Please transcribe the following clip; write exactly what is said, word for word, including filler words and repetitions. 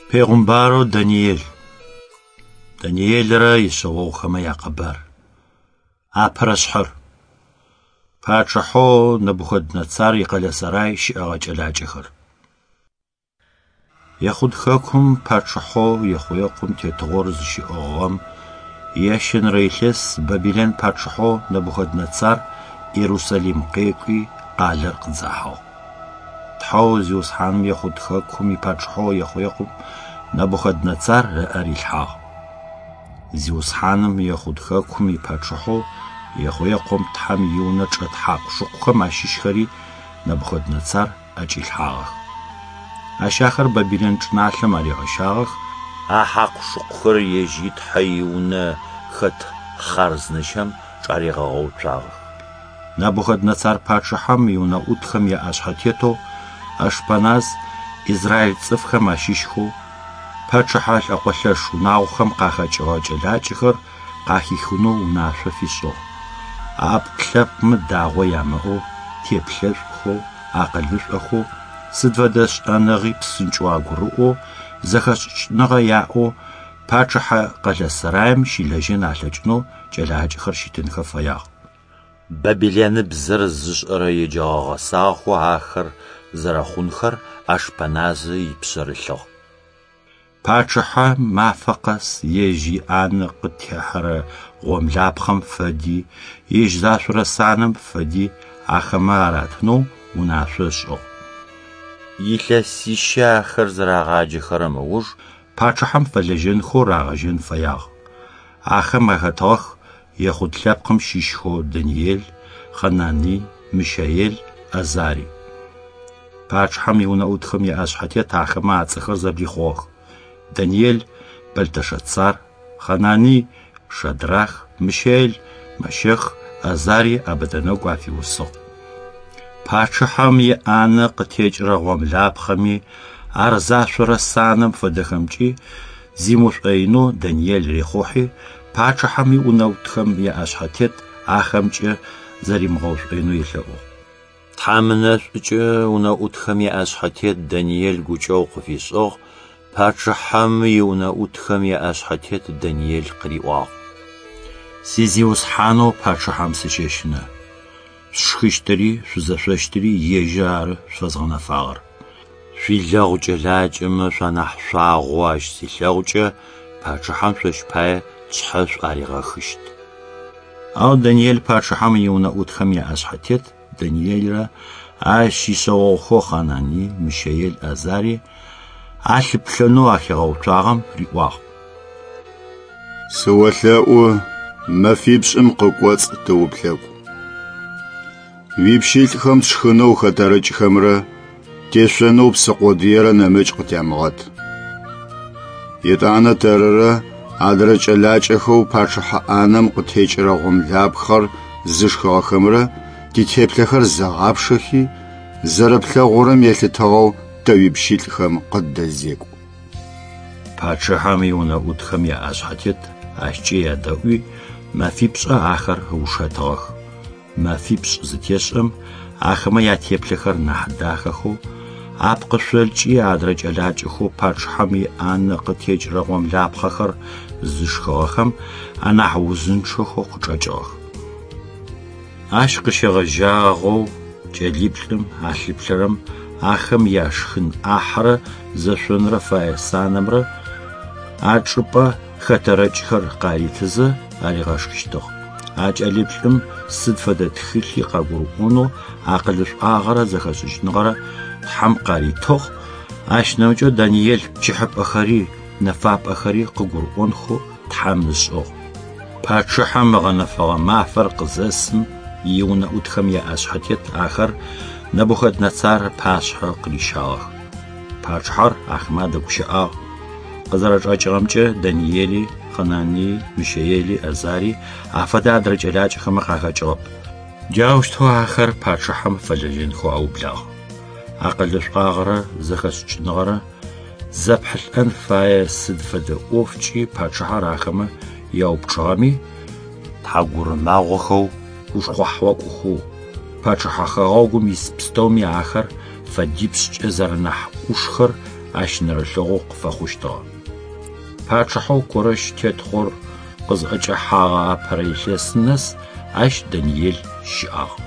Пегъумбарэу Даниел. Даниелрэ ишъэогъухэмэ якъэбар. Апэрэ шъхьэр. Пачъыхьэу Нэбухэднэцар икъэлэ сэрай щыӏэгъэ кӏэлакӏэхэр. Ехъуд хэкум пачъыхьэу Ехъуекъым тетыгъор зыщиӏыгъыгъэм иящэнэрэ илъэс Бабилэн пачъыхьэу Нэбухэднэцар Иерусалим къекӏуи къалэр къыдзахьыгъ. Тхьэу Зиусхьаным Ехъуд хэкум ипачъыхьэу Ехъуекъым Нэбухэднэцар ыӏэ рилъхьагъ. Зиусхьаным Ехъуд хэкум ипачъыхьэу Ехъуекъым Тхьэм иунэ чӏэт хьакъу-шыкъухэм ащыщхэри Нэбухэднэцар ӏэкӏилъхьагъэх. Ащ ахэр Бабилэн чӏыналъэм аригъэщагъэх, а хьакъу-шыкъухэр ежь и Тхьэ иунэ хэт хъарзынэщым чӏаригъэгъэуцуагъэх. Нэбухэднэцар пачъыхьэм иунэӏутхэм яӏэшъхьэтетэу Ашпаназ Израиль цӏыфхэм ащыщхэу пачъыхьэ лӏэкъолъэш унагъохэм къахэкӏыгъэ кӏэлакӏэхэр къахихынэу унашъо фишӏыгъ. Ӏэпкъ-лъэпкъмэ дагъо ямыӏэу, теплъэшӏухэу, акъылышӏохэу, сыд фэдэ шӏэныгъи псынкӏэу агурыӏоу, зэхэшӏыкӏыныгъэ яӏэу пачъыхьэ къэлэ сэраим щылэжьэн алъэкӏынэу кӏэлакӏэхэр щытынхэ фэягъ. Бабилэныбзэр зышӏэрэ еджэгъэ гъэсагъэхэу ахэр зэрэхъунхэр Ашпаназы ипшъэрылъыгъ. Пачъыхьэ мафэ къэс ежь иӏанэ къытехьэрэ гъомлапхъэм фэди, ежь зашъорэ санэм фэди ахэмэ аратынэу унашъо ышӏыгъ. Илъэсищэ ахэр зэрагъаджэхэрэм ыуж пачъыхьэм фэлэжьэнхэу рагъэжьэн фэягъ. Ахэм ахэтыгъэх Ехъуд лъэпкъым щыщхэу Даниел, Хъэнаный, Мыщаел, Азари. Пачъыхьэм иунэӏутхэм яӏэшъхьэтет ахэмэ ацӏэхэр зэблихъугъэх. Даниел Бэлтэшэцар, Хъэнаный Шадрах, Мыщаел Мэщэх, Азари Абэдэнэгу афиусыгъ. Пачъыхьэм иӏанэ къытекӏырэ гъомлапхъэми, ар зашъорэ санэм фэдэхэмкӏи зимышӏоинэу Даниел рихъухьи, пачъыхьэм иунэӏутхэм яӏэшъхьэтет ахэмкӏэ зэримыгъэушӏоинэу елъэӏугъ. Тхьэм ынэшӏукӏэ унэӏутхэм яӏэшъхьэтет Даниел гукӏэгъу къыфишӏыгъ, пачъыхьэм иунэӏутхэм яӏэшъхьэтет Даниел къыриӏуагъ: Сизиусхьанэу пачъыхьэм сыщэщынэ. Шъушхыщтыри шъузэшъощтыри ежьыр ары шъуфэзгъэнэфагъэр. Шъуилэгъу кӏэлакӏэмэ шъуанахь шъуагъо ащ зилъэгъукӏэ пачъыхьэм шъощ пае тшъхьэ шъуаригъэхыщт. Ау Даниел пачъыхьэм иунэӏутхэм яӏэшъхьэтет Даниелрэ ащ ишъэогъухэу Хъэнаный, Мыщаел, Азари алъыплъэнэу ахигъэуцуагъэм риӏуагъ: Сыолъэӏу мэфипшӏым къыкӏоцӏ тыуплъэкӏу. Уипщылӏхэм тшхынэу хэтэрыкӏхэмрэ тешъонэу псы къодыерэ нэмыкӏ къытямыгъэт. Етӏанэ тэрырэ адрэ кӏэлакӏэхэу пачъыхьэ ӏанэм къытекӏырэ гъомлапхъэр зышхыгъэхэмрэ титеплъэхэр зэгъапшэхи, зэрэплъэгъурэм елъытыгъэу тэ уипщылӏхэм къыддэзекӏу. Пачъыхьэм иунэӏутхэм яӏэшъхьэтет ащкӏэ ядэӏуи, мэфипшӏэ ахэр ыушэтыгъэх. Мэфипшӏ зытешӏэм ахэмэ ятеплъэхэр нахь дахэхэу, апкъышъолкӏи адрэ кӏэлакӏэхэу пачъыхьэм иӏанэ къытекӏырэ гъомлапхъэхэр зышхыгъэхэм анахь узынчъэхэу къычӏэкӏыгъэх. Ащ къыщегъэжьагъэу кӏэлиплӏым алъыплъэрэм ахэм яшхын ӏахьэрэ зэшъонрэ фае санэмрэ а чӏыпӏэ хэтэрыкӏхэр къаритызэ аригъэшхыщтыгъ. А кӏэлиплӏым сыд фэдэ тхылъи къагурыӏонэу акъылышӏуагъэрэ зэхэшӏыкӏыныгъэрэ Тхьэм къаритыгъ, ащ нэмыкӏэу Даниел пчыхьыпӏэхэри нэфапӏэхэри къыгурыӏонхэу Тхьэм ышӏыгъ. Пачъыхьэм ыгъэнэфэгъэ мафэр къызэсым иунэӏутхэм яӏэшъхьэтет ахэр Нэбухэднэцар ыпашъхьэ къырищагъэх. Пачъыхьэр ахэмэ адэгущыӏагъ. Къызэрэчӏэкӏыгъэмкӏэ Даниели, Хъэнаный, Мыщаели, Азари афэдэ адрэ кӏэлакӏэхэмэ къахэкӏыгъэп. Джаущтэу ахэр пачъыхьэм фэлэжьэнхэу аублагъ. Акъылышӏуагъэрэ зэхэшӏыкӏыныгъэрэ зэпхьылӏэн фае сыд фэдэ ӏофкӏи пачъыхьэр ахэмэ яупчӏыгъэми, тхьагурымагъохэу, ушхъухьакӏохэу, пачъыхьэ хэгъэгум ис пстэуми ахэр фэдипшӏкӏэ зэрэнахь ӏушхэр ащ нэрылъэгъу къыфэхъущтыгъэ. Пачъыхьэу Корэщ тетыгъор къызӏэкӏэхьагъэ апэрэ илъэсым нэс ащ Даниел щыӏагъ.